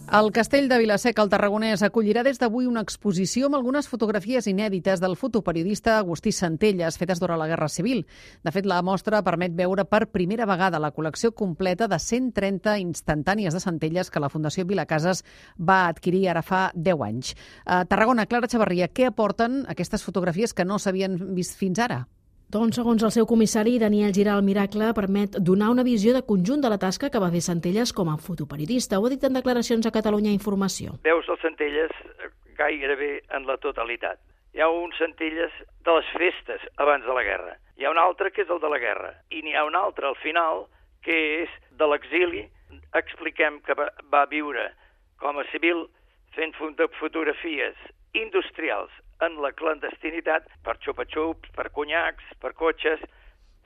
El Castell de Vila-seca, al Tarragonès, acollirà des d'avui una exposició amb algunes fotografies inèdites del fotoperiodista Agustí Centelles, fetes durant la Guerra Civil. De fet, la mostra permet veure per primera vegada la col·lecció completa de 130 instantànies de Centelles que la Fundació Vilacases va adquirir ara fa 10 anys. A Tarragona, Clara Chavarria, què aporten aquestes fotografies que no s'havien vist fins ara? Doncs, segons el seu comissari, Daniel Giral Miracle, permet donar una visió de conjunt de la tasca que va fer Centelles com a fotoperiodista. Ho ha dit en declaracions a Catalunya Informació. Veus el Centelles gairebé en la totalitat. Hi ha un Centelles de les festes abans de la guerra. Hi ha un altre que és el de la guerra. I n'hi ha un altre al final que és de l'exili. Expliquem que va viure com a civil fent fotografies industrials en la clandestinitat, per xupa-xups, per conyacs, per cotxes,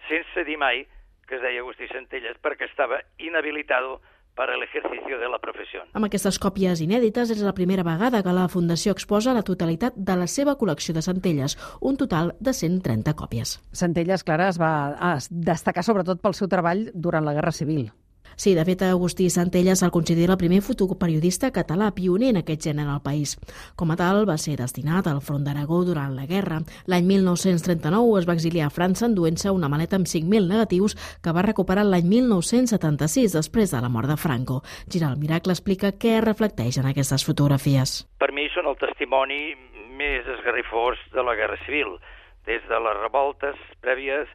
sense dir mai que es deia Agustí Centelles, perquè estava inhabilitado para el ejercicio de la profesión. Amb aquestes còpies inèdites és la primera vegada que la Fundació exposa la totalitat de la seva col·lecció de Centelles, un total de 130 còpies. Centelles, Clara, es va destacar sobretot pel seu treball durant la Guerra Civil. Sí, de fet, Agustí Centelles el considera el primer fotoperiodista català pioner en aquest gènere al país. Com a tal, va ser destinat al front d'Aragó durant la guerra. L'any 1939 es va exiliar a França enduent-se una maleta amb 5.000 negatius que va recuperar l'any 1976, després de la mort de Franco. Giral Miracle explica què reflecteix en aquestes fotografies. Per mi són el testimoni més esgarrifós de la Guerra Civil, des de les revoltes prèvies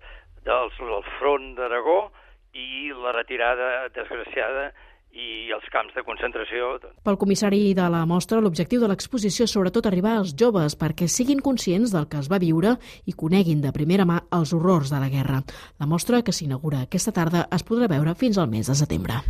del front d'Aragó i la retirada desgraciada i els camps de concentració. Pel comissari de la mostra, l'objectiu de l'exposició és sobretot arribar als joves perquè siguin conscients del que es va viure i coneguin de primera mà els horrors de la guerra. La mostra, que s'inaugura aquesta tarda, es podrà veure fins al mes de setembre.